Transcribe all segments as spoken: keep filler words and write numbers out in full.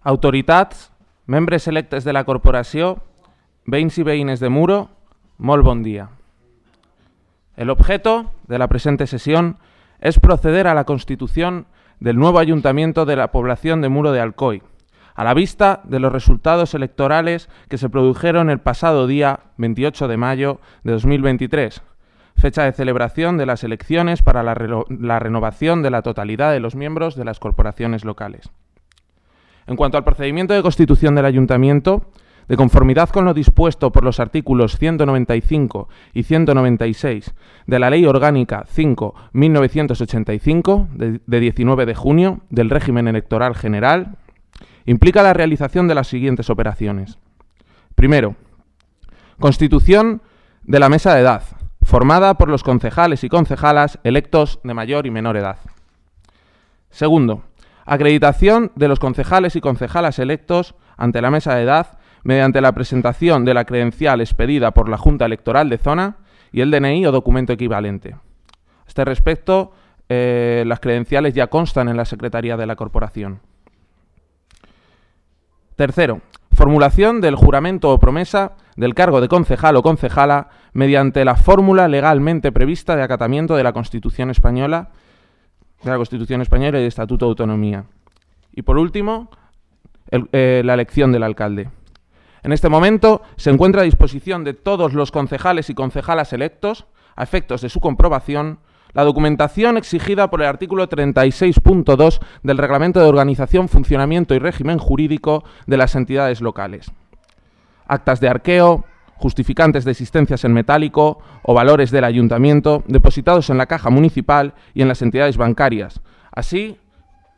Autoritats, membres electes de la corporació, veïns i veïnes de Muro, molt bon dia. El objeto de la presente sesión es proceder a la constitución del nuevo ayuntamiento de la población de Muro de Alcoy, a la vista de los resultados electorales que se produjeron el pasado día veintiocho de mayo de dos mil veintitrés, fecha de celebración de las elecciones para la, reno- la renovación de la totalidad de los miembros de las corporaciones locales. En cuanto al procedimiento de constitución del ayuntamiento, de conformidad con lo dispuesto por los artículos ciento noventa y cinco y ciento noventa y seis de la Ley Orgánica cinco barra mil novecientos ochenta y cinco, de, de diecinueve de junio, del régimen electoral general, implica la realización de las siguientes operaciones. Primero, constitución de la mesa de edad, formada por los concejales y concejalas electos de mayor y menor edad. Segundo, acreditación de los concejales y concejalas electos ante la mesa de edad mediante la presentación de la credencial expedida por la Junta Electoral de Zona y el D N I o documento equivalente. A este respecto, eh, las credenciales ya constan en la Secretaría de la Corporación. Tercero, formulación del juramento o promesa del cargo de concejal o concejala mediante la fórmula legalmente prevista de acatamiento de la Constitución Española, de la Constitución Española y el Estatuto de Autonomía. Y por último, el, eh, la elección del alcalde. En este momento se encuentra a disposición de todos los concejales y concejalas electos, a efectos de su comprobación, la documentación exigida por el artículo treinta y seis punto dos del Reglamento de Organización, Funcionamiento y Régimen Jurídico de las entidades locales. Actas de arqueo, justificantes de existencias en metálico o valores del ayuntamiento depositados en la caja municipal y en las entidades bancarias, así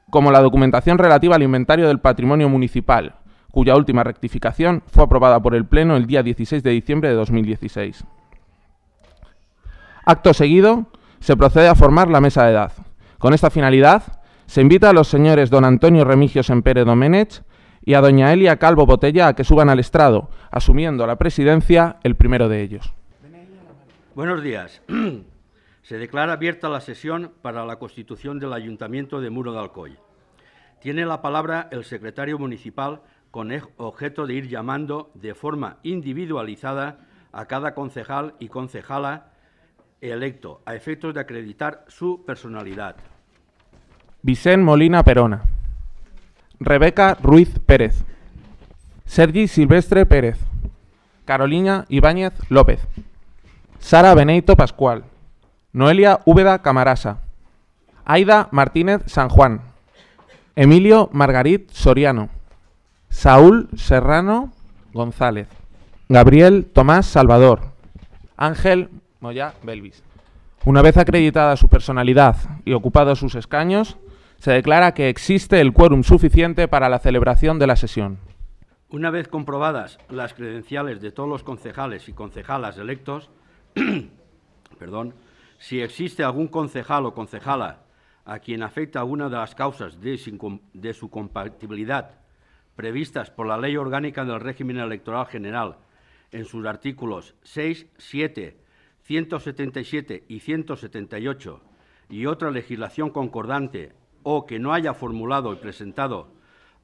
como la documentación relativa al inventario del patrimonio municipal, cuya última rectificación fue aprobada por el Pleno el día dieciséis de diciembre de dos mil dieciséis. Acto seguido, se procede a formar la mesa de edad. Con esta finalidad, se invita a los señores don Antonio Remigio Sempere Domenech y a doña Elia Calvo Botella a que suban al estrado, asumiendo la presidencia el primero de ellos. Buenos días. Se declara abierta la sesión para la constitución del Ayuntamiento de Muro de Alcoy. Tiene la palabra el secretario municipal con objeto de ir llamando de forma individualizada a cada concejal y concejala electo, a efectos de acreditar su personalidad. Vicent Molina Perona. Rebeca Ruiz Pérez. Sergi Silvestre Pérez. Carolina Ibáñez López. Sara Beneito Pascual. Noelia Úbeda Camarasa. Aida Martínez San Juan. Emilio Margarit Soriano. Saúl Serrano González. Gabriel Tomás Salvador. Ángel Moya Belvis. Una vez acreditada su personalidad y ocupados sus escaños, se declara que existe el quórum suficiente para la celebración de la sesión. Una vez comprobadas las credenciales de todos los concejales y concejalas electos, perdón, si existe algún concejal o concejala a quien afecta alguna de las causas de su, de su compatibilidad previstas por la Ley Orgánica del Régimen Electoral General en sus artículos seis, siete, ciento setenta y siete y ciento setenta y ocho y otra legislación concordante, o que no haya formulado y presentado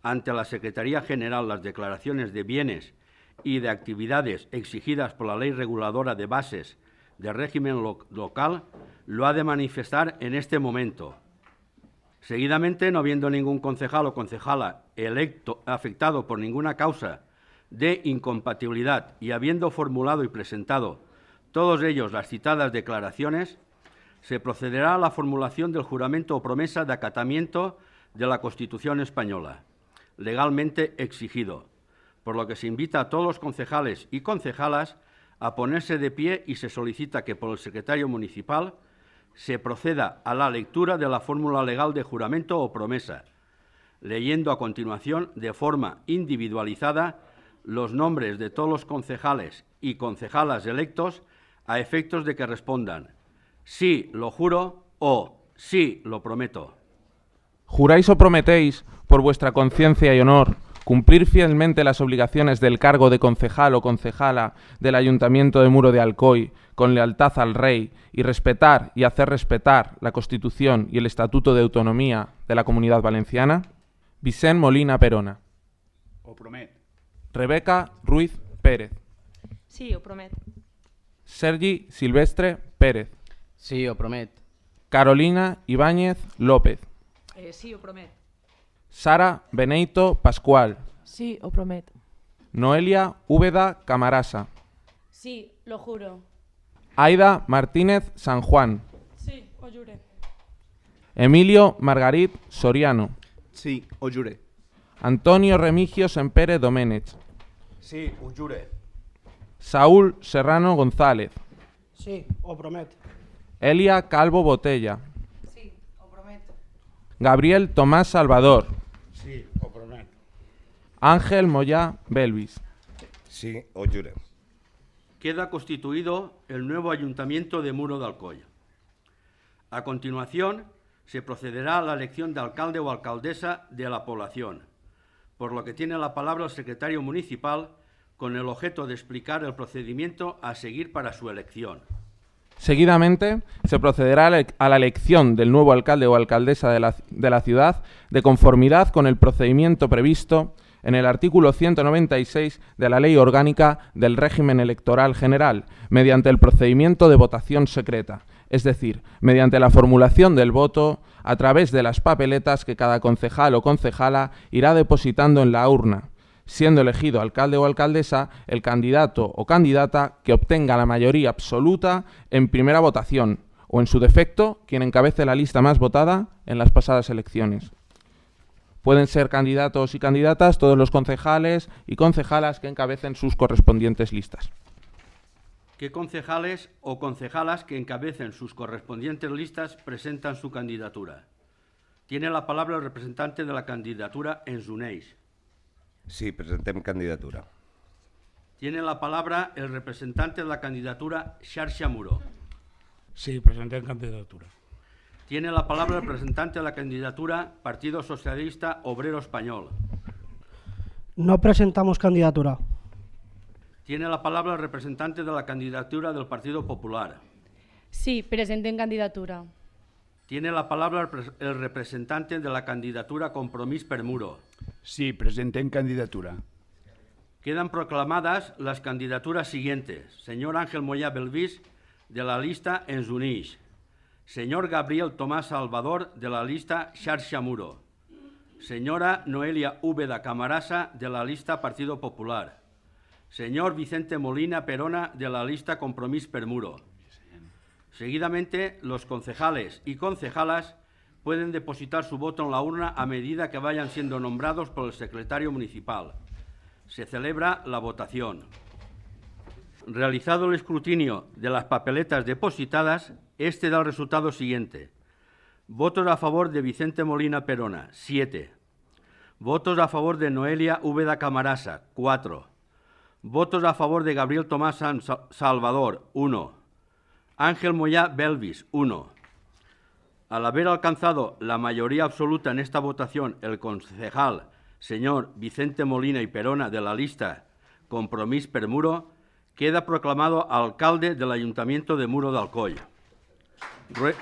ante la Secretaría General las declaraciones de bienes y de actividades exigidas por la Ley Reguladora de Bases de Régimen lo- Local, lo ha de manifestar en este momento. Seguidamente, no habiendo ningún concejal o concejala electo afectado por ninguna causa de incompatibilidad y habiendo formulado y presentado todos ellos las citadas declaraciones, se procederá a la formulación del juramento o promesa de acatamiento de la Constitución Española, legalmente exigido, por lo que se invita a todos los concejales y concejalas a ponerse de pie y se solicita que por el secretario municipal se proceda a la lectura de la fórmula legal de juramento o promesa, leyendo a continuación de forma individualizada los nombres de todos los concejales y concejalas electos a efectos de que respondan sí lo juro o sí lo prometo. ¿Juráis o prometéis, por vuestra conciencia y honor, cumplir fielmente las obligaciones del cargo de concejal o concejala del Ayuntamiento de Muro de Alcoy con lealtad al Rey y respetar y hacer respetar la Constitución y el Estatuto de Autonomía de la Comunidad Valenciana? Vicent Molina Perona. ho promet. Rebeca Ruiz Pérez. Sí, ho promet. Sergi Silvestre Pérez. Sí, ho promet. Carolina Ibáñez López. Eh, sí, ho promet. Sara Beneito Pascual. Sí, ho promet. Noelia Úbeda Camarasa. Sí, lo juro. Aida Martínez San Juan. Sí, ho jure. Emilio Margarit Soriano. Sí, ho jure. Antonio Remigio Sempere Doménech. Sí, ho jure. Saúl Serrano González. Sí, ho promet. Elia Calvo Botella. Sí, ho promet. Gabriel Tomás Salvador. Sí, ho promet. Ángel Moyá Belvis. Sí, ho jure. Queda constituido el nuevo Ayuntamiento de Muro de Alcoy. A continuación, se procederá a la elección de alcalde o alcaldesa de la población, por lo que tiene la palabra el secretario municipal con el objeto de explicar el procedimiento a seguir para su elección. Seguidamente, se procederá a la elección del nuevo alcalde o alcaldesa de la, de la ciudad de conformidad con el procedimiento previsto en el artículo ciento noventa y seis de la Ley Orgánica del Régimen Electoral General, mediante el procedimiento de votación secreta, es decir, mediante la formulación del voto a través de las papeletas que cada concejal o concejala irá depositando en la urna, siendo elegido alcalde o alcaldesa el candidato o candidata que obtenga la mayoría absoluta en primera votación, o en su defecto, quien encabece la lista más votada en las pasadas elecciones. Pueden ser candidatos y candidatas todos los concejales y concejalas que encabecen sus correspondientes listas. ¿Qué concejales o concejalas que encabecen sus correspondientes listas presentan su candidatura? Tiene la palabra el representante de la candidatura en Uneix. Sí, presentem candidatura. Tiene la palabra el representante de la candidatura Xarxa Muro. Sí, presentem candidatura. Tiene la palabra el representante de la candidatura Partido Socialista Obrero Español. No presentamos candidatura. Tiene la palabra el representante de la candidatura del Partido Popular. Sí, presentem candidatura. Tiene la palabra el representante de la candidatura Compromís per Muro. Sí, presentem candidatura. Quedan proclamadas las candidaturas siguientes. Señor Ángel Moyá Belvis, de la lista Ens Unix. Señor Gabriel Tomás Salvador, de la lista Xarxa Muro. Señora Noelia Úbeda Camarasa, de la lista Partido Popular. Señor Vicente Molina Perona, de la lista Compromís per Muro. Seguidamente, los concejales y concejalas pueden depositar su voto en la urna a medida que vayan siendo nombrados por el secretario municipal. Se celebra la votación. Realizado el escrutinio de las papeletas depositadas, este da el resultado siguiente. Votos a favor de Vicente Molina Perona, siete. Votos a favor de Noelia Úbeda Camarasa, cuatro. Votos a favor de Gabriel Tomás Salvador, uno. Ángel Moyá Belvis, uno. Al haber alcanzado la mayoría absoluta en esta votación, el concejal señor Vicente Molina y Perona de la lista Compromís per Muro queda proclamado alcalde del Ayuntamiento de Muro de Alcoy. Rue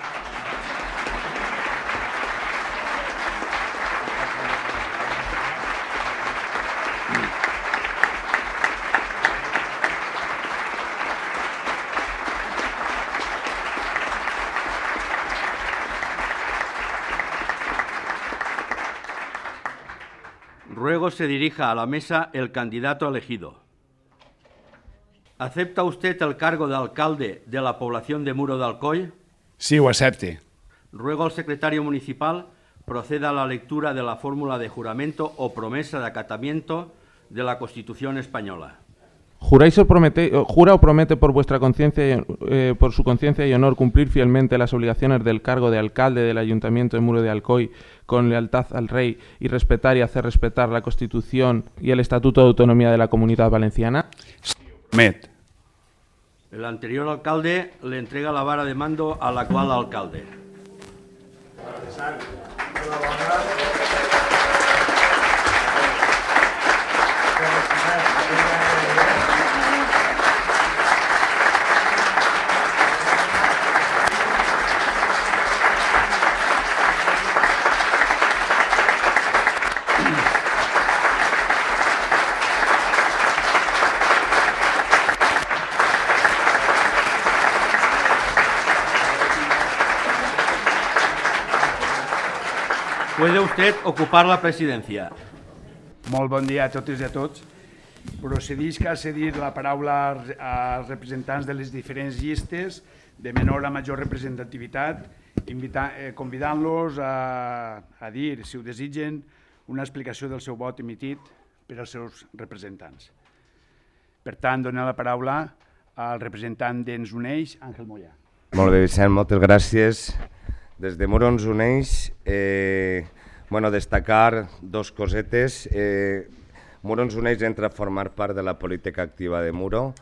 Ruego se dirija a la mesa el candidato elegido. ¿Acepta usted el cargo de alcalde de la población de Muro de Alcoy? Sí, ho accepte. Ruego al secretario municipal proceda a la lectura de la fórmula de juramento o promesa de acatamiento de la Constitución española. ¿Juráis o promete, jura o promete por vuestra conciencia, eh, por su conciencia y honor cumplir fielmente las obligaciones del cargo de alcalde del Ayuntamiento de Muro de Alcoy con lealtad al Rey y respetar y hacer respetar la Constitución y el Estatuto de Autonomía de la Comunidad Valenciana? Sí, ho promet. El anterior alcalde le entrega la vara de mando al actual alcalde. Puede usted ocupar la presidencia. Molt bon dia a totes i a tots. Procedisc a cedir la paraula als- als representants de les diferents llistes de menor a major representativitat, invita- eh, convidant-los a, a dir, si ho desitgen, una explicació del seu vot emitit per als seus representants. Per tant, donar la paraula al representant d'Ens Uneix, Àngel Mollà. Molt bé, Vicent, moltes gràcies. Des de Muro Ens Uneix, eh, bueno, destacar dos cosetes. Eh, Muro Ens Uneix entra a formar part de la política activa de Muro,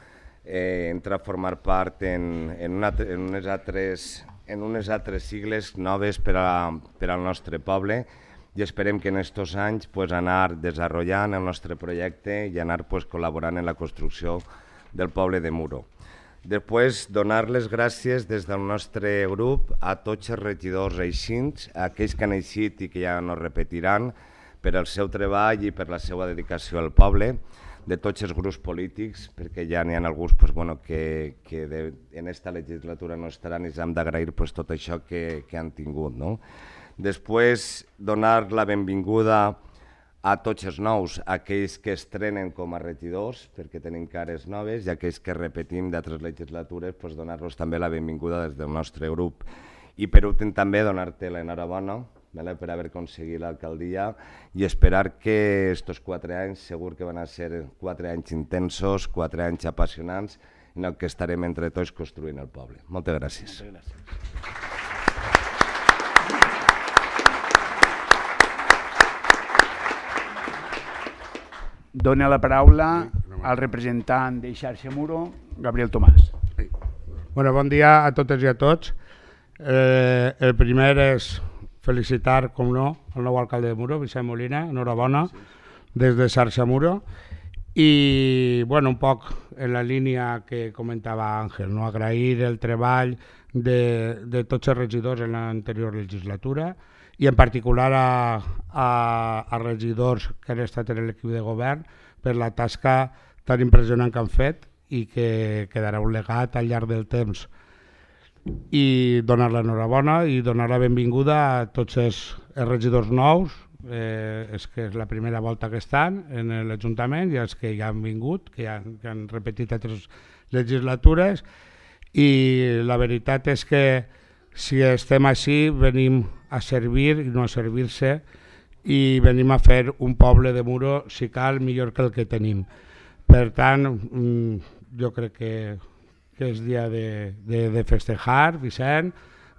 eh, entra a formar part en, en, una, en, unes altres, en unes altres sigles noves per, a, per al nostre poble i esperem que en aquests anys pues, anar desenvolupant el nostre projecte i anar pues, col·laborant en la construcció del poble de Muro. Després, donar les gràcies des del nostre grup a tots els regidors eixins, a aquells que han eixit i que ja no repetiran, per al seu treball i per la seva dedicació al poble, de tots els grups polítics, perquè ja n'hi ha alguns pues, bueno, que, que de, en aquesta legislatura no estaran i ens hem d'agrair pues, tot això que, que han tingut. No? Després, donar la benvinguda a tots els nous, aquells que estrenen com a regidors, perquè tenim cares noves, i aquells que repetim d'altres legislatures, doncs donar-los també la benvinguda des del nostre grup. I per últim també donar-te l'enhorabona per haver aconseguit l'alcaldia i esperar que aquests quatre anys segur que van a ser quatre anys intensos, quatre anys apassionants, en el que estarem entre tots construint el poble. Moltes gràcies. Moltes gràcies. Dóna la paraula al representant de Xarxa Muro, Gabriel Tomàs. Bueno, bon dia a totes i a tots. Eh, el primer és felicitar, com no, el nou alcalde de Muro, Vicent Molina, enhorabona, des de Xarxa Muro. I, bueno, un poc en la línia que comentava Àngel, no? Agrair el treball de, de tots els regidors en l'anterior legislatura i en particular a, a, a regidors que han estat en l'equip de govern per la tasca tan impressionant que han fet i que quedarà un legat al llarg del temps. I donar l'enhorabona i donar la benvinguda a tots els, els regidors nous, eh, és que és la primera volta que estan en l'Ajuntament i els que ja han vingut, que ja han, que han repetit altres legislatures, i la veritat és que si estem així venim a servir i no a servir-se i venim a fer un poble de Muro, si cal, millor que el que tenim. Per tant, jo crec que, que és dia de, de, de festejar, Vicent,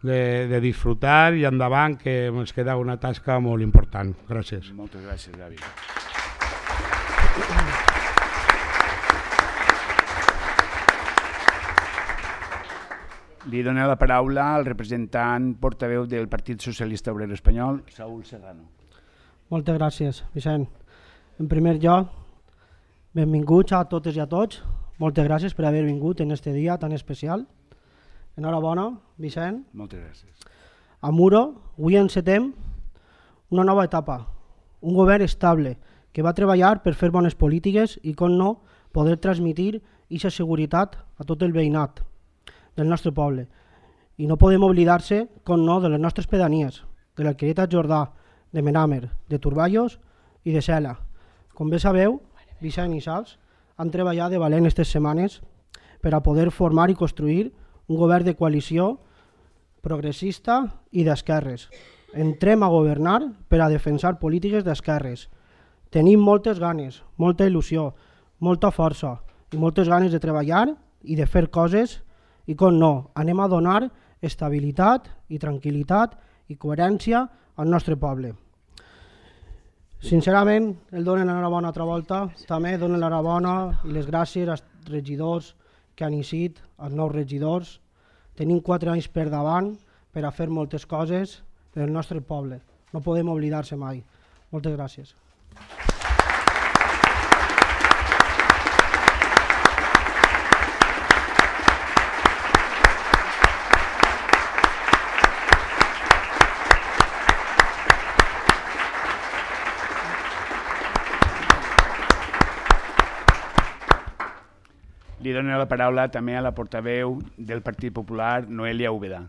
de, de disfrutar i endavant, que ens queda una tasca molt important. Gràcies. Moltes gràcies, Gavi. Li dono la paraula al representant portaveu del Partit Socialista Obrer Espanyol, Saúl Serrano. Moltes gràcies, Vicent. En primer lloc, benvinguts a totes i a tots. Moltes gràcies per haver vingut en aquest dia tan especial. Enhorabona, Vicent. Moltes gràcies. A Muro, avui encetem una nova etapa, un govern estable que va treballar per fer bones polítiques i, com no, poder transmitir aquesta seguretat a tot el veïnat del nostre poble. I no podem oblidar-se, com no, de les nostres pedanies, de l'Alquerieta Jordà, de Menàmer, de Turballos i de Cela. Com bé sabeu, Vicent i Sals han treballat de valent aquestes setmanes per a poder formar i construir un govern de coalició progressista i d'esquerres. Entrem a governar per a defensar polítiques d'esquerres. Tenim moltes ganes, molta il·lusió, molta força i moltes ganes de treballar i de fer coses i, com no, anem a donar estabilitat i tranquil·litat i coherència al nostre poble. Sincerament, el donen l'enhorabona altra volta, també donen l'enhorabona i les gràcies als regidors que han eixit, als nous regidors. Tenim quatre anys per davant per a fer moltes coses per al nostre poble. No podem oblidar-se mai. Moltes gràcies. Li dono la paraula també a la portaveu del Partit Popular, Noelia Úbeda.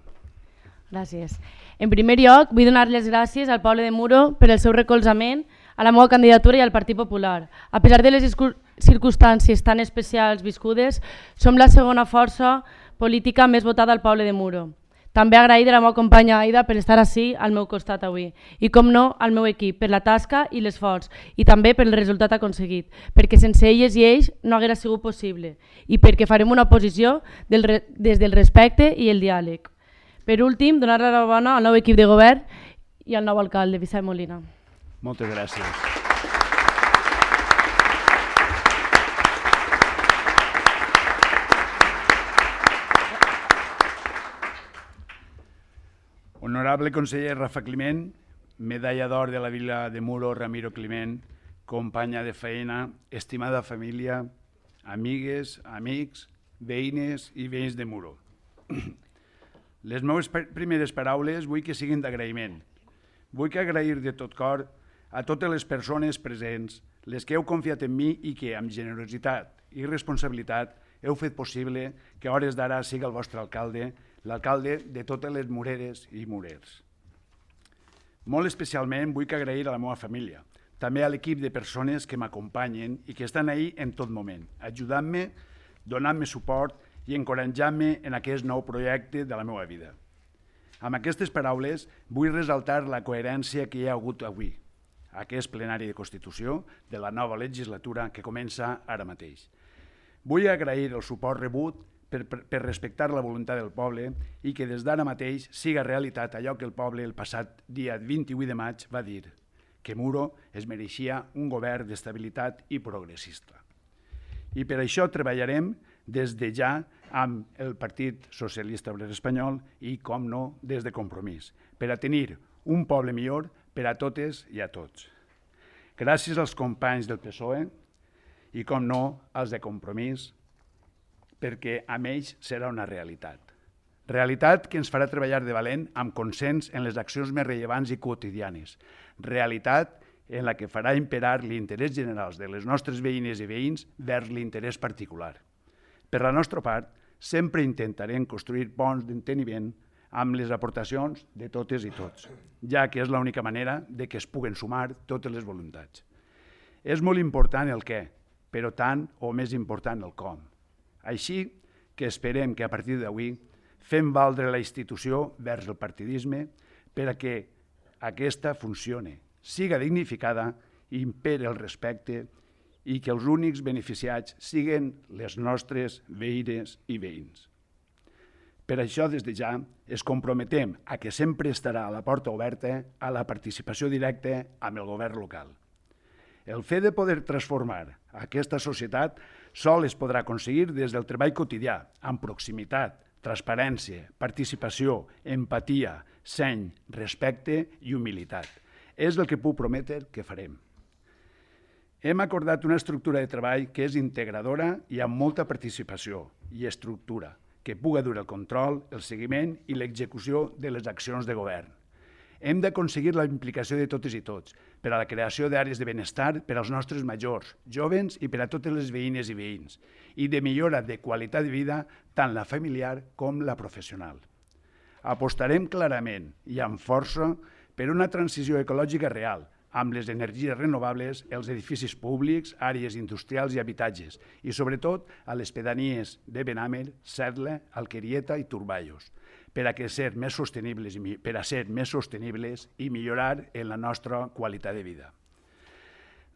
Gràcies. En primer lloc, vull donar les gràcies al poble de Muro per el seu recolzament a la meva candidatura i al Partit Popular. A pesar de les circumstàncies tan especials viscudes, som la segona força política més votada al poble de Muro. També agrair a la meva companya Aida per estar ací al meu costat avui i, com no, al meu equip per la tasca i l'esforç i també per el resultat aconseguit, perquè sense elles i ells no haguera sigut possible i perquè farem una oposició del re des del respecte i el diàleg. Per últim, donar l'enhorabona al nou equip de govern i al nou alcalde, Vicent Molina. Moltes gràcies. Honorable conseller Rafa Climent, medalla d'or de la Vila de Muro Ramiro Climent, companya de feina, estimada família, amigues, amics, veïnes i veïns de Muro. Les meves primeres paraules vull que siguin d'agraïment. Vull que agrair de tot cor a totes les persones presents, les que heu confiat en mi i que, amb generositat i responsabilitat, heu fet possible que a hores d'ara siga el vostre alcalde, l'alcalde de totes les mureres i murers. Molt especialment vull que agrair a la meva família, també a l'equip de persones que m'acompanyen i que estan ahí en tot moment, ajudant-me, donant-me suport i encoratjant-me en aquest nou projecte de la meva vida. Amb aquestes paraules vull resaltar la coherència que hi ha hagut avui, aquest plenari de Constitució de la nova legislatura que comença ara mateix. Vull agrair el suport rebut Per, per, per respectar la voluntat del poble i que des d'ara mateix siga realitat allò que el poble el passat dia vint-i-vuit de maig va dir, que Muro es mereixia un govern d'estabilitat i progressista. I per això treballarem des de ja amb el Partit Socialista Obrer Espanyol i, com no, des de Compromís, per a tenir un poble millor per a totes i a tots. Gràcies als companys del P S O E i, com no, als de Compromís, perquè amb ells serà una realitat. Realitat que ens farà treballar de valent amb consens en les accions més rellevants i quotidianes. Realitat en la que farà imperar l'interès general de les nostres veïnes i veïns vers l'interès particular. Per la nostra part, sempre intentarem construir ponts d'enteniment amb les aportacions de totes i tots, ja que és l'única manera de que es puguen sumar totes les voluntats. És molt important el què, però tant o més important el com. Així que esperem que a partir d'avui fem valdre la institució vers el partidisme per a que aquesta funcione, siga dignificada, impere el respecte i que els únics beneficiats siguen les nostres veïnes i veïns. Per això, des de ja, es comprometem a que sempre estarà a la porta oberta a la participació directa amb el govern local. El fet de poder transformar aquesta societat sol es podrà aconseguir des del treball quotidià, amb proximitat, transparència, participació, empatia, seny, respecte i humilitat. És el que puc prometre que farem. Hem acordat una estructura de treball que és integradora i amb molta participació i estructura, que puga dur el control, el seguiment i l'execució de les accions de govern. Hem d'aconseguir la implicació de totes i tots per a la creació d'àrees de benestar per als nostres majors, jovens i per a totes les veïnes i veïns, i de millora de qualitat de vida tant la familiar com la professional. Apostarem clarament i amb força per una transició ecològica real, amb les energies renovables, els edificis públics, àrees industrials i habitatges, i sobretot a les pedanies de Benàmer, Cercle, Alquerieta i Turballos, per a, que ser més sostenibles, per a ser més sostenibles i millorar en la nostra qualitat de vida.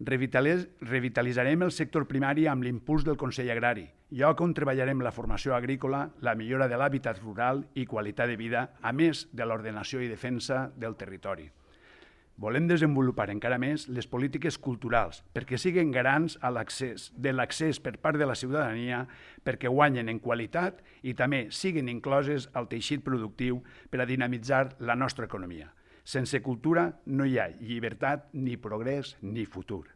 Revitalitzarem el sector primari amb l'impuls del Consell Agrari, lloc on treballarem la formació agrícola, la millora de l'hàbitat rural i qualitat de vida, a més de l'ordenació i defensa del territori. Volem desenvolupar encara més les polítiques culturals perquè siguin garants de l'accés per part de la ciutadania, perquè guanyen en qualitat i també siguin incloses al teixit productiu per a dinamitzar la nostra economia. Sense cultura no hi ha llibertat, ni progrés, ni futur.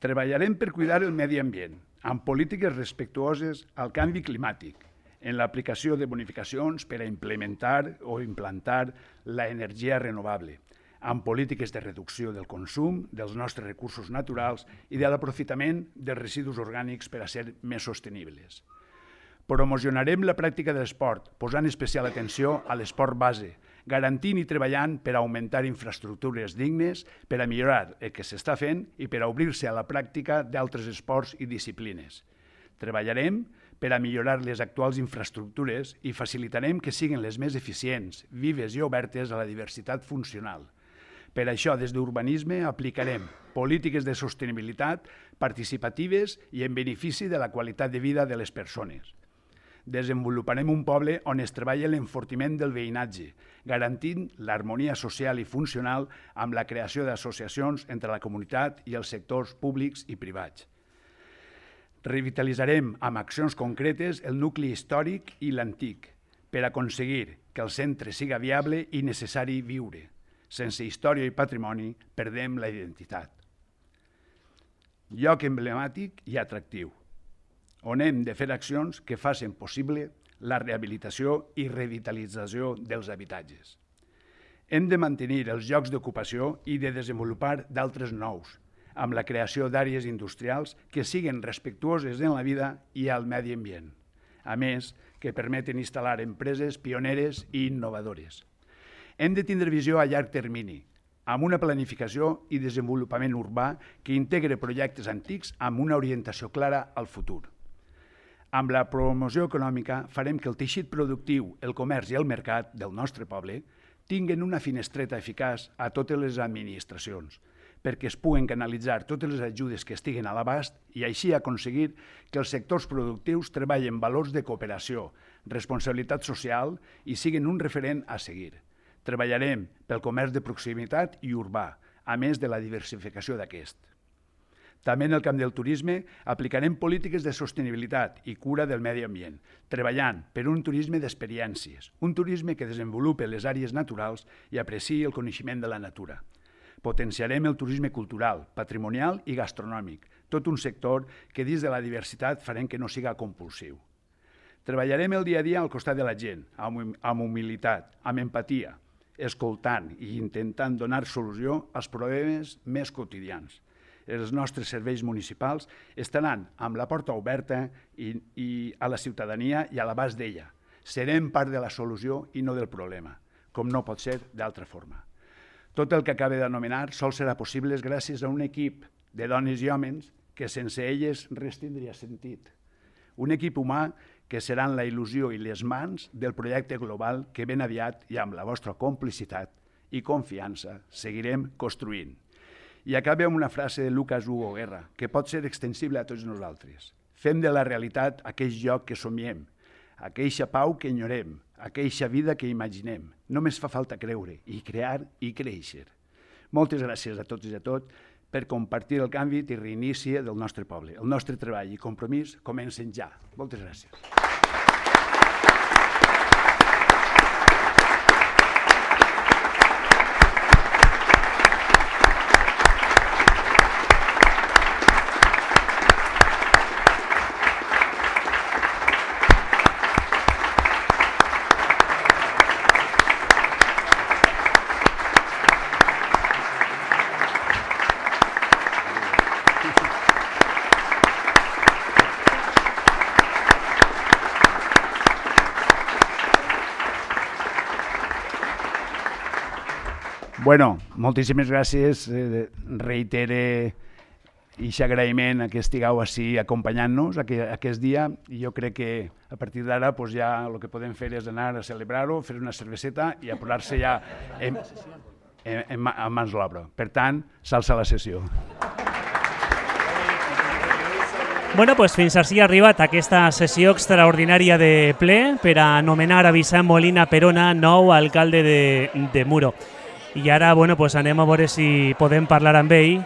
Treballarem per cuidar el medi ambient, amb polítiques respectuoses al canvi climàtic, en l'aplicació de bonificacions per a implementar o implantar l'energia renovable, amb polítiques de reducció del consum dels nostres recursos naturals i de l'aprofitament dels residus orgànics per a ser més sostenibles. Promocionarem la pràctica de l'esport, posant especial atenció a l'esport base, garantint i treballant per augmentar infraestructures dignes, per a millorar el que s'està fent i per a obrir-se a la pràctica d'altres esports i disciplines. Treballarem per a millorar les actuals infraestructures i facilitarem que siguin les més eficients, vives i obertes a la diversitat funcional. Per això, des d'Urbanisme, aplicarem polítiques de sostenibilitat participatives i en benefici de la qualitat de vida de les persones. Desenvoluparem un poble on es treballa l'enfortiment del veïnatge, garantint l'harmonia social i funcional amb la creació d'associacions entre la comunitat i els sectors públics i privats. Revitalitzarem amb accions concretes el nucli històric i l'antic per aconseguir que el centre siga viable i necessari viure. Sense història i patrimoni perdem la identitat. Lloc emblemàtic i atractiu, on hem de fer accions que facin possible la rehabilitació i revitalització dels habitatges. Hem de mantenir els llocs d'ocupació i de desenvolupar d'altres nous, amb la creació d'àrees industrials que siguin respectuoses en la vida i al medi ambient, a més que permeten instal·lar empreses pioneres i innovadores. Hem de tindre visió a llarg termini, amb una planificació i desenvolupament urbà que integre projectes antics amb una orientació clara al futur. Amb la promoció econòmica farem que el teixit productiu, el comerç i el mercat del nostre poble tinguen una finestreta eficaç a totes les administracions, perquè es puguen canalitzar totes les ajudes que estiguen a l'abast i així aconseguir que els sectors productius treballen valors de cooperació, responsabilitat social i siguin un referent a seguir. Treballarem pel comerç de proximitat i urbà, a més de la diversificació d'aquest. També en el camp del turisme aplicarem polítiques de sostenibilitat i cura del medi ambient, treballant per un turisme d'experiències, un turisme que desenvolupi les àrees naturals i apreciï el coneixement de la natura. Potenciarem el turisme cultural, patrimonial i gastronòmic, tot un sector que dins de la diversitat farem que no siga compulsiu. Treballarem el dia a dia al costat de la gent, amb humilitat, amb empatia, escoltant i intentant donar solució als problemes més quotidians. Els nostres serveis municipals estaran amb la porta oberta i, i a la ciutadania i a l'abast d'ella. Serem part de la solució i no del problema, com no pot ser d'altra forma. Tot el que acabe d'anomenar sol serà possible gràcies a un equip de dones i homes que sense elles res tindria sentit. Un equip humà que seran la il·lusió i les mans del projecte global que ben aviat i amb la vostra complicitat i confiança seguirem construint. I acabe amb una frase de Lucas Hugo Guerra, que pot ser extensible a tots nosaltres. Fem de la realitat aquell lloc que somiem, aquella pau que enyorem, aquella vida que imaginem. Només fa falta creure i crear i créixer. Moltes gràcies a tots i a tot per compartir el canvi i reinici del nostre poble. El nostre treball i compromís comencen ja. Moltes gràcies. Bueno, moltíssimes gràcies. Eh, reitere aquest agraïment a que estigueu així acompanyant-nos aquest dia i jo crec que a partir d'ara pues, ja el que podem fer és anar a celebrar-ho, fer una cerveseta i a posar-se ja en, en, en, en mans l'obra. Per tant, s'alça la sessió. Bueno, pues fins així ha arribat aquesta sessió extraordinària de ple per a anomenar a Vicent Molina Perona nou alcalde de, de Muro. I ara bueno, pues anem a veure si podem parlar amb ell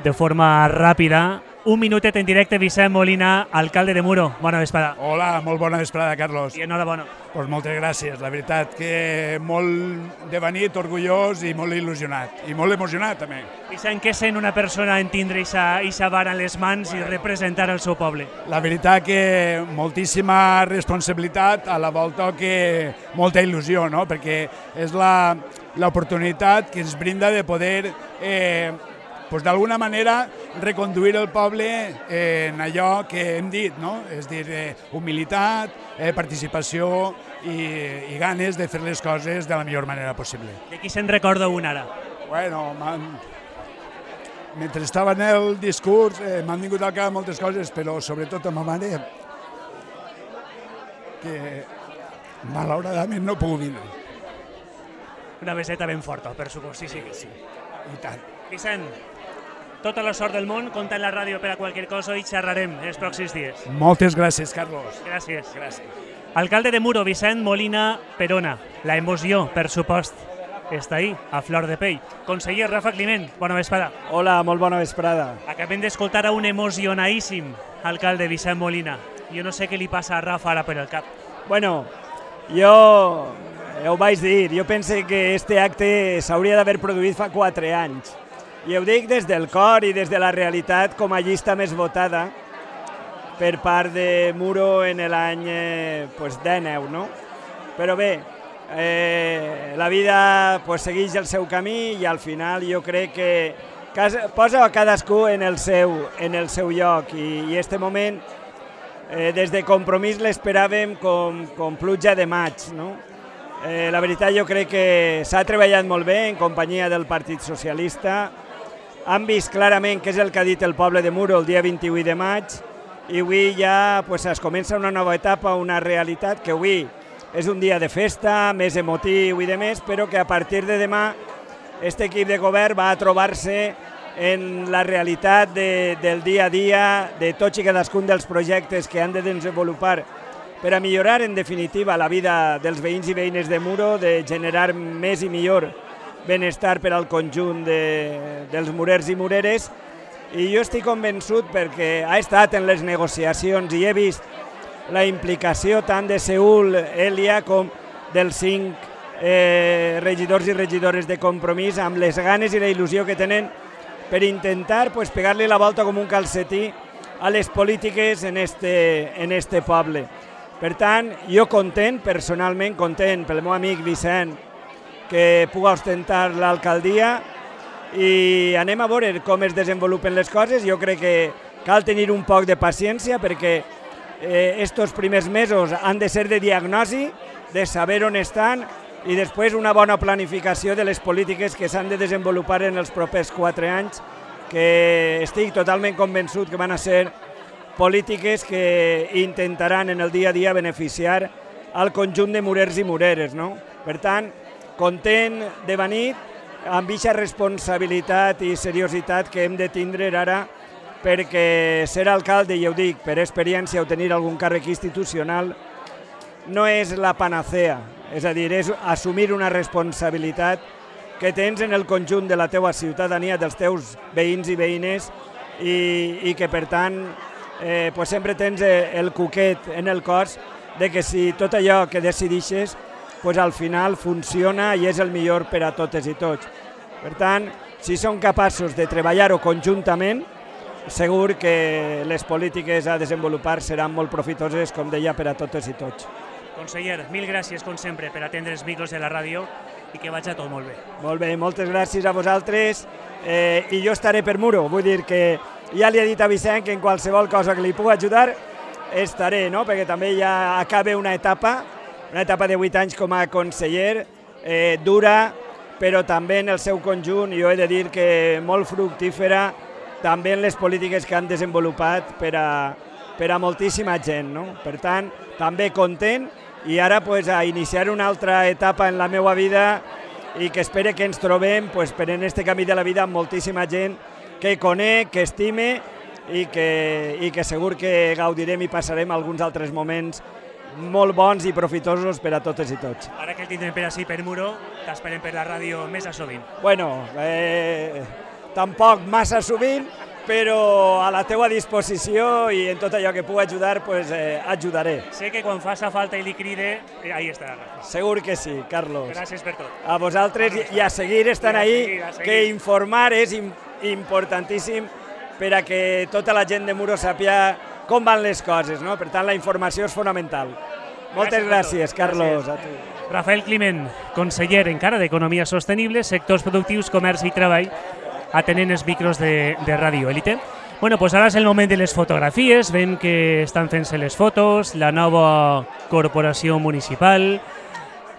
de forma ràpida. Un minutet en directe, Vicent Molina, alcalde de Muro. Bona vesprada. Hola, molt bona vesprada, Carlos. I enhorabona. Pues moltes gràcies. La veritat que molt de venit, orgullós i molt il·lusionat. I molt emocionat, també. Vicent, què sent una persona en tindre aquesta vara en les mans i representar el seu poble? La veritat que moltíssima responsabilitat, a la volta que molta il·lusió, no? Perquè és la l'oportunitat que ens brinda de poder eh, pues, d'alguna manera reconduir el poble en allò que hem dit, no? És dir, eh, humilitat, eh, participació i, i ganes de fer les coses de la millor manera possible. De qui se'n recorda un ara? Bueno, mentre estava en el discurs eh, m'han vingut al cap moltes coses, però sobretot a ma mare, que malauradament no puc vindre. Una beseta ben forta, per supost, sí, sí. Sí, i tant. Vicent, tota la sort del món, compta en la ràdio per a qualsevol cosa i xerrarem els pròxims dies. Moltes gràcies, Carlos. Gràcies. Gràcies. Alcalde de Muro, Vicent Molina Perona. La emoció, per supost, està ahí, a flor de pell. Conseller Rafa Climent, bona vesprada. Hola, molt bona vesprada. Acabem d'escoltar a un emocionadíssim alcalde Vicent Molina. Jo no sé què li passa a Rafa ara per el cap. Bueno, jo ja ho vaig dir, jo penso que este acte s'hauria d'haver produït fa quatre anys. I ho dic des del cor i des de la realitat com a llista més votada per part de Muro en l'any eh, pues, dinou, no? Però bé, eh, la vida pues, segueix el seu camí i al final jo crec que casa, posa a cadascú en el seu, en el seu lloc i, i este moment eh, des de Compromís l'esperàvem com, com pluja de maig, no? Eh, la veritat jo crec que s'ha treballat molt bé en companyia del Partit Socialista. Han vist clarament què és el que ha dit el poble de Muro el dia vint-i-vuit de maig i avui ja pues, es comença una nova etapa, una realitat que avui és un dia de festa, més emotiu i de més, però que a partir de demà aquest equip de govern va a trobar-se en la realitat de, del dia a dia de tots i cadascun dels projectes que han de desenvolupar per a millorar, en definitiva, la vida dels veïns i veïnes de Muro, de generar més i millor benestar per al conjunt de, dels murers i mureres. I jo estic convençut perquè ha estat en les negociacions i he vist la implicació tant de Seül, Elia, com dels cinc eh, regidors i regidores de Compromís, amb les ganes i la il·lusió que tenen per intentar pues, pegar-li la volta com un calcetí a les polítiques en este, en este poble. Per tant, jo content, personalment content pel meu amic Vicent, que puga ostentar l'alcaldia i anem a veure com es desenvolupen les coses. Jo crec que cal tenir un poc de paciència perquè eh, estos primers mesos han de ser de diagnosi, de saber on estan i després una bona planificació de les polítiques que s'han de desenvolupar en els propers quatre anys, que estic totalment convençut que van a ser polítiques que intentaran en el dia a dia beneficiar al conjunt de murers i mureres, no? Per tant, content de venir amb aquesta responsabilitat i seriositat que hem de tindre ara perquè ser alcalde, i ho dic, per experiència o tenir algun càrrec institucional, no és la panacea, és a dir, és assumir una responsabilitat que tens en el conjunt de la teua ciutadania, dels teus veïns i veïnes i, i que per tant eh, pues sempre tens el cuquet en el cos de que si tot allò que decidixes pues al final funciona i és el millor per a totes i tots. Per tant, si som capaços de treballar-ho conjuntament, segur que les polítiques a desenvolupar seran molt profitoses, com deia, per a totes i tots. Conseller, mil gràcies, com sempre, per atendre els micros de la ràdio i que vagi tot molt bé. Molt bé, moltes gràcies a vosaltres eh, i jo estaré per Muro. Vull dir que ja li he dit a Vicent que en qualsevol cosa que li pugui ajudar estaré, no? Perquè també ja acaba una etapa, una etapa de vuit anys com a conseller, eh, dura, però també en el seu conjunt, jo he de dir que molt fructífera, també en les polítiques que han desenvolupat per a, per a moltíssima gent, no? Per tant, també content i ara pues, a iniciar una altra etapa en la meva vida i que espere que ens trobem pues, per en este camí de la vida amb moltíssima gent que conec, que estime i que, i que segur que gaudirem i passarem alguns altres moments molt bons i profitosos per a totes i tots. Ara que el tindrem per així per Muro, t'esperem per la ràdio més a sovint. Bueno, eh, tampoc massa sovint, però a la teua disposició i en tot allò que pugui ajudar, pues, eh, ajudaré. Sé que quan faça falta i li cride, eh, ahí estarà. Segur que sí, Carlos. Gràcies per tot. A vosaltres i a seguir estant ahí, seguir, a seguir. Que informar és importantíssim per a que tota la gent de Muro sàpia com van les coses, no? Per tant, la informació és fonamental. Moltes gràcies, gràcies Carlos. Gràcies. A tu. Rafael Climent, conseller encara d'Economia Sostenible, Sectors Productius, Comerç i Treball, atenent els micros de, de Radio Élite. Bueno, pues ara és el moment de les fotografies, veiem que estan fent-se les fotos, la nova corporació municipal,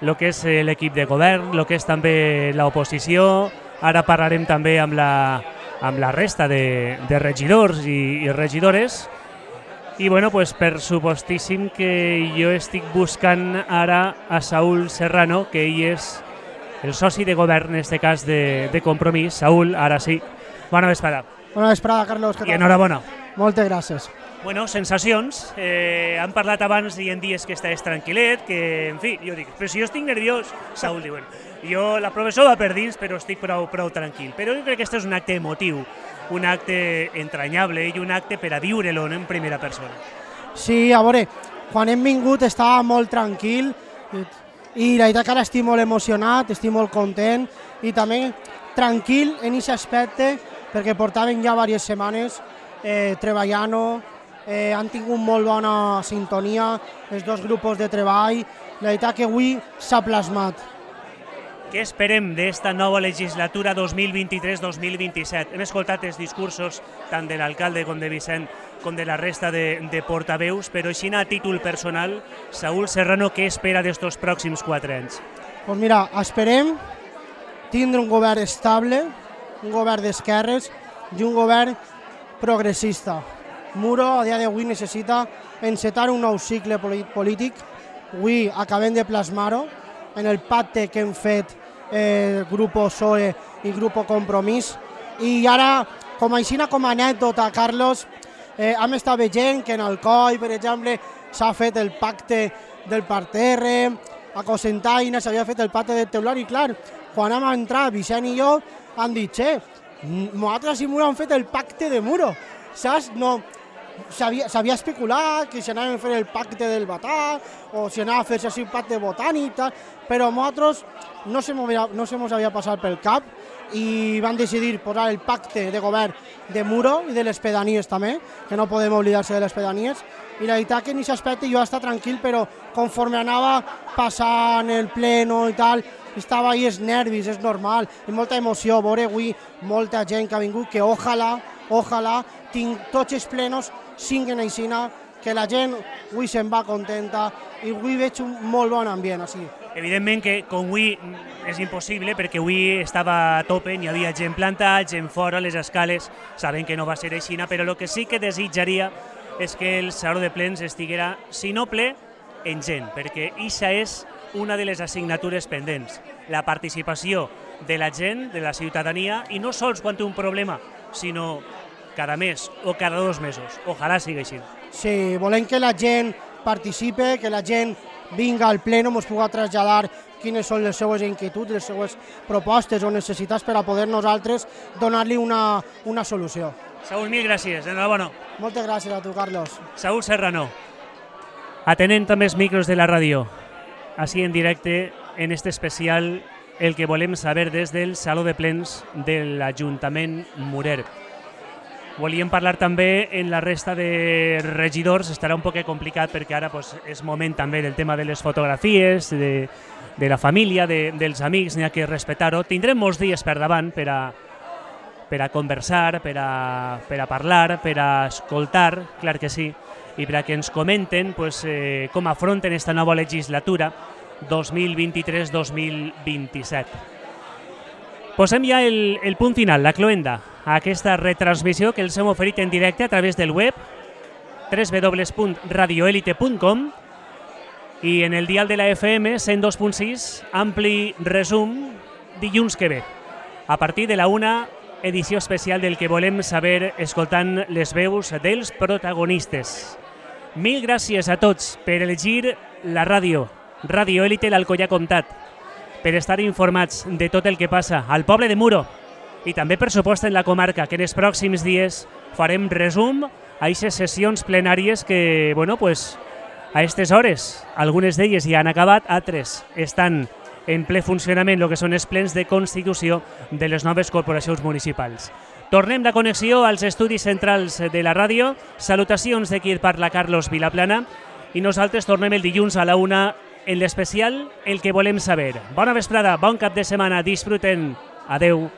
el que és l'equip de govern, el que és també l'oposició. Ara parlarem també amb la, amb la resta de, de regidors i, i regidores. I bueno, pues per supostíssim que jo estic buscant ara a Saúl Serrano, que ell és el soci de govern, en aquest cas de, de Compromís. Saúl, ara sí, bona vesprada. Bona vesprada, Carlos. I enhorabona. Moltes gràcies. Bueno, sensacions. Eh, han parlat abans i en dies que estàs tranquil·let, que, en fi, jo dic, però si jo estic nerviós, Saúl diuen, jo, la professor va per dins, però estic prou, prou tranquil. Però jo crec que aquest és un acte emotiu, un acte entranyable i un acte per a viure-lo en primera persona. Sí, a veure, quan hem vingut estava molt tranquil i la veritat que ara estic molt emocionat, estic molt content i també tranquil en aquest aspecte perquè portaven ja diverses setmanes eh, treballant, eh, han tingut molt bona sintonia, els dos grups de treball, la veritat que avui s'ha plasmat. Què esperem d'esta nova legislatura dos mil vint-i-tres dos mil vint-i-set? Hem escoltat els discursos tant de l'alcalde com de Vicent com de la resta de, de portaveus, però així a títol personal, Saúl Serrano, què espera d'estos pròxims quatre anys? Pues mira, esperem tindre un govern estable, un govern d'esquerres i un govern progressista. Muro a dia d'avui necessita encetar un nou cicle polític. Avui acabem de plasmar-ho en el pacte que hem fet el grup P S O E i el grup Compromís. I ara, com així com a anècdota, Carlos, eh, hem estat veient que en Alcoi, per exemple, s'ha fet el pacte del parterre, a Cocentaina s'havia fet el pacte del teular i clar, quan hem entrat Vicent i jo, han dit, che, nosaltres i Muro han fet el pacte de Muro, saps? No, s'havia especulat que si anàvem a fer el pacte del Batà o si anava a fer-se així un pacte botànic, però nosaltres no se no se mos havia passat pel cap i van decidir posar el pacte de govern de Muro i de les pedanies també, que no podem oblidar-se de les pedanies, i la veritat que en aquest aspecte jo estava tranquil, però conforme anava passant el pleno i tal, estava ahí els nervis, és normal, i molta emoció, veure avui molta gent que ha vingut, que ojalà, ojalà, tinc tots els plenos siguin aixina, que la gent avui se'n va contenta i avui veig un molt bon ambient així. Evidentment que com avui és impossible perquè avui estava a tope, hi havia gent plantat, gent fora, les escales, sabem que no va ser així, però el que sí que desitjaria és que el Saló de Plens estiguera, si no ple, en gent, perquè aquesta és una de les assignatures pendents, la participació de la gent, de la ciutadania, i no sols quan té un problema, sinó cada mes o cada dos mesos. Ojalà sigui així. Sí, volem que la gent participe, que la gent vinga al pleno, ens pugui traslladar quines són les seues inquietuds, les seues propostes o necessitats per a poder nosaltres donar-li una, una solució. Saúl, mil gràcies, enhorabona. Moltes gràcies a tu, Carlos. Saúl Serrano, atenent també els micros de la ràdio, així en directe, en este especial, el que volem saber des del Saló de Plens de l'Ajuntament Murer. Volíem parlar també en la resta de regidors, estarà un poc complicat perquè ara pues, és moment també del tema de les fotografies, de, de la família, de, dels amics, n'hi ha que respectar-ho. Tindrem molts dies per davant per a, per a conversar, per a, per a parlar, per a escoltar, clar que sí, i per a que ens comenten pues, eh, com afronten esta nova legislatura dos mil vint-i-tres dos mil vint-i-set. Posem ja el, el punt final, la cloenda, a aquesta retransmissió que els hem oferit en directe a través del web w w w punt radio elite punt com i en el dial de la F M cent dos punt sis, ampli resum dilluns que ve. A partir de la una, edició especial del que volem saber escoltant les veus dels protagonistes. Mil gràcies a tots per elegir la ràdio, Ràdio Élite l'Alcoià Comtat, per estar informats de tot el que passa al poble de Muro i també, per supost, en la comarca, que en els pròxims dies farem resum a aquestes sessions plenàries que, bueno, pues, a aquestes hores, algunes d'elles ja han acabat, altres estan en ple funcionament el que són els plens de constitució de les noves corporacions municipals. Tornem la connexió als estudis centrals de la ràdio. Salutacions de qui parla, Carlos Vilaplana, i nosaltres tornem el dilluns a la una en l'especial El que volem saber. Bona vesprada, bon cap de setmana, disfruten. Adeu.